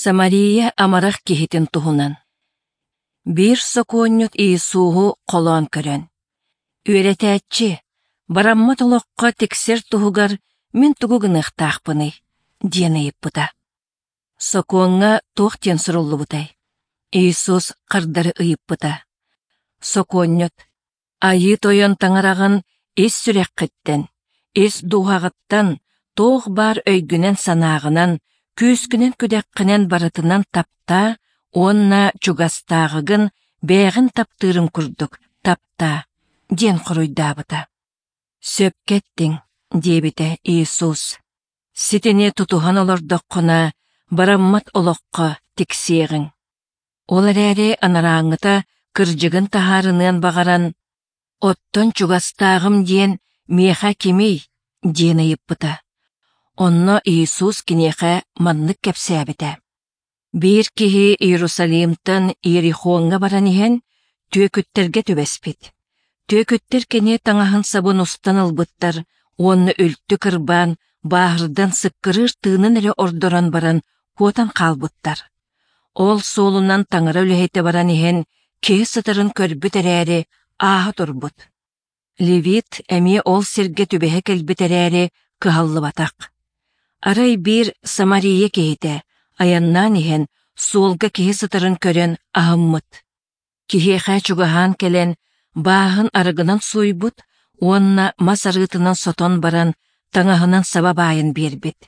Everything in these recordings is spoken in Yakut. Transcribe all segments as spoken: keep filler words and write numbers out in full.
Самария амарах киһитин туһунан. Биир сокуонньут Иисуһу холоон көрөн: «Үөрэтээччи, бараммат олоххо тиксэр туһугар мин тугу гыныахтаахпыный?» диэн ыйыппыта. Сокуоҥҥа туох диэн суруллубутай? Иисус хардары ыйыппыта. Сокуонньут: «Айыы Тойон Таҥараҕын ис сүрэххиттэн, ис дууһаҕыттан, туох баар өйгүнэн-санааҕынан, күүскүнэн-күдэххинэн барытынан таптаа уонна чугастааҕыгын бэйэҕин таптыырыҥ курдук таптаа» диэн хоруйдаабыта. «Сөпкө эттиҥ», диэбитэ Иисус. «Ситини тутуһан олордоххуна, бараммат олоххо тиксиэҕиҥ». Ол эрээри анарааҥҥыта кырдьыгын таһаарыныан баҕаран, «Оттон чугастааҕым диэн миэхэ кимий?» диэн ыйыппыта. Онно Иисус киниэхэ маннык кэпсээбитэ: Биир киһи Иерусалимтан Иерихоҥҥа баран иһэн, түөкүттэргэ түбэспит. Түөкүттэр кини таҥаһын-сабын устан ылбыттар уонна үлтү кырбаан, бааһырдан сыккырыыр тыынын эрэ ордорон баран куотан хаалбыттар. Ол суолунан таҥара үлэһитэ баран иһэн, киһи сытарын көрбүт эрээри, ааһа турбут. Левит эмиэ ол сиргэ түбэһэ кэлбит эрээри, кыһаллыбатах. Арай биир Самария киһитэ айаннаан иһэн суолга киһи сытарын көрөн аһыммыт. Киһиэхэ чугаһаан кэлэн бааһын арыгынан сууйбут уонна мас арыытынан сотон баран таҥаһынан саба баайан биэрбит.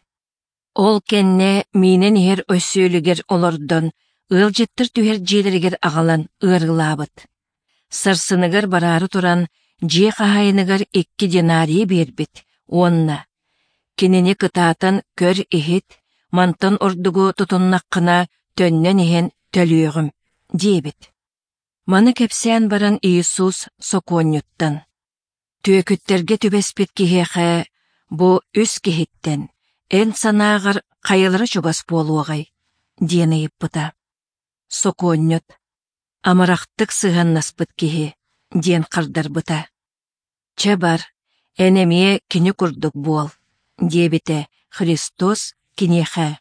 Ол кэннэ миинэн иһэр өсүөлүгэр олордон ыалдьыттар түһэр дьиэлэригэр аҕалан ыарыылаабыт. Сарсыныгар бараары туран дьиэ хаһаайыныгар икки динарийы биэрбит уонна «Кинини кытаатан көр-иһит, мантан ордугу тутуннаххына төннөн иһэн төлүөҕүм» диэбит. Маны кэпсээн баран Иисус сокуонньуттан: «Түөкүттэргэ түбэспит киһиэхэ бу үс киһиттэн эн санааҕар хайалара чугас буолуоҕай?» диэн ыйыппыта. Сокуонньут: «Амарахтык сыһыаннаспыт киһи» диэн хардарбыта. «Чэ бар, эн эмиэ кини курдук буол» диэбитэ Христос киниэхэ.